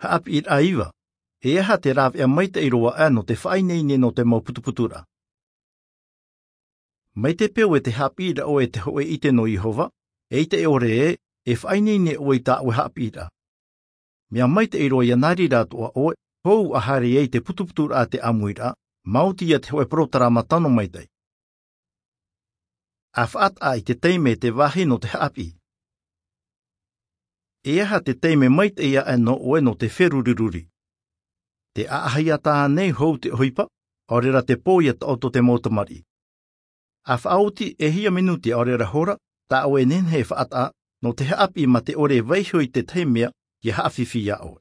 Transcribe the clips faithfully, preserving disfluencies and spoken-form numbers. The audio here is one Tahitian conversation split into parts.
Haʻapiʻiraʻa iva. E aha te rāveʻa maitaʻi roa ʻā nō te faʻaineine nō te mau putuputuraʻa? Mai te peu e te haʻapiʻiraʻa ʻoe e te hōʻē ʻite nō Iehova, eʻita e ʻore ē, e faʻaineine ʻoe i tā ʻoe haʻapiʻiraʻa. Mea maitaʻi roa ia nā reira atoʻa ʻoe, hou ʻa haere ai te putuputuraʻa a te ʻāmuiraʻa, maoti ia te hōʻē porotarama tano maitaʻi. ʻA faʻataʻa i te taime e te vāhi nō te haʻapiʻi. E aha te taime maitaʻi aʻe nō ʻoe nō te feruriruri? Te ʻaʻahi ʻatā nei hou te ʻohipa, ʻaore rā te pō ia taʻoto te mau tamariʻi. ʻA faʻaoti e hia minuti ʻaore rā hora, tā ʻoe e nehenehe e faʻataʻa, nō te haʻapiʻi mā te ʻore e vaiiho i te tahi mea, ia haʻafifi iā ʻoe.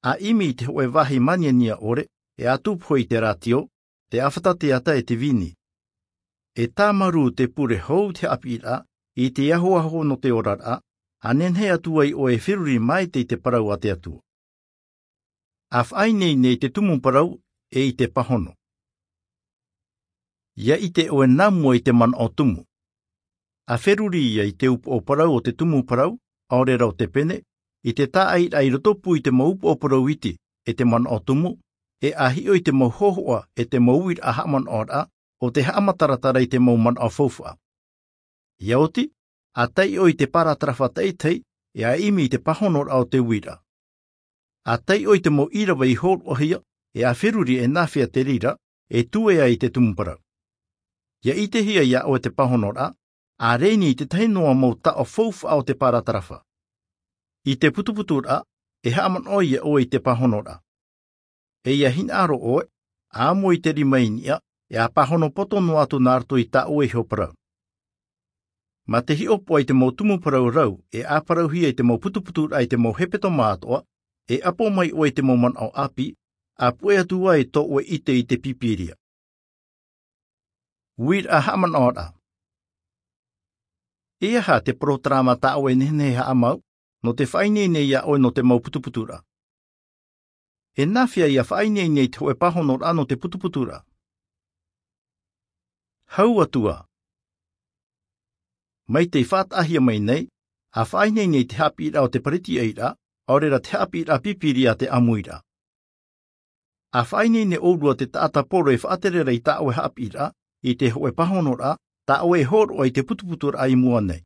ʻA ʻimi i te hōʻē vāhi māniania ʻore, e ʻa tupu hoʻi i te rātio, te ʻāfata teata e te vīni. E tāmarū te pure hou te haʻapiʻiraʻa, i te ahoaho nō te oraraʻa, ʻa nehenehe atu ai ʻoe e feruri maitaʻi i te parau a te Atua. ʻA faʻaineine i te tumu parau, e i te pāhono. Ia ʻite ʻoe nā mua i te manaʻo tumu. ʻA feruri ia i te upoʻo parau o te tumu parau, ʻaore rā o te pene, i te tāʻairaʻa i rotopū i te mau upoʻo parau iti, e te manaʻo tumu, e ʻa hiʻo i te mau hōhoʻa, e te mau uiraʻa haʻamanaʻoraʻa, ʻo te haʻamataratara i te mau manaʻo faufaʻa. Ia oti, ʻa taiʻo i te paratarafa taʻitahi, e ʻa ʻimi i te pāhonoraʻa o te uiraʻa. ʻA taiʻo i te mau ʻīrava i hōroʻahia, e ʻa feruri e nāfea te reira, e tuea i te tumu parau. Ia ʻitehia iā ʻoe te pāhonoraʻa, ʻa rēni i te tahi noa mau taʻo faufaʻa o te paratarafa. I te putuputuraʻa, e haʻamanaʻo iā ʻoe i te pāhonoraʻa. E ia hinaʻaro ʻoe, ʻa amo i te rima i niʻa, e ʻa pāhono poto noa atu nā roto i tā ʻoe iho parau. Mā te hiʻopoʻa i te mau tumu parau rau, e ʻa parauhia i te mau putuputuraʻa i te mau hepetoma atoʻa, e ʻapo mai ʻoe i te mau manaʻo ʻāpī, ʻa puʻe atu ā i tō ʻoe ʻite i te Pīpīria. Uiraʻa haʻamanaʻoraʻa. E aha te porotarama tā ʻoe e nehenehe e haʻamau, nō te faʻaineine iā ʻoe nō te mau putuputuraʻa? E nāfea ia faʻaineine i te hōʻē pāhonoraʻa nō te putuputuraʻa? Hau atu ā. Mai tei faʻataʻahia mai nei, ʻa faʻaineine i te haʻapiʻiraʻa o te Parisiairaʻa, ʻaore rā te haʻapiʻiraʻa Pīpīria a te ʻāmuiraʻa. ʻA faʻaineine ʻōrua te taʻata poro e faʻatere ra i tā ʻoe haʻapiʻiraʻa, i te hōʻē pāhonoraʻa, tā ʻoe e hōroʻa i te putuputuraʻa i mua nei.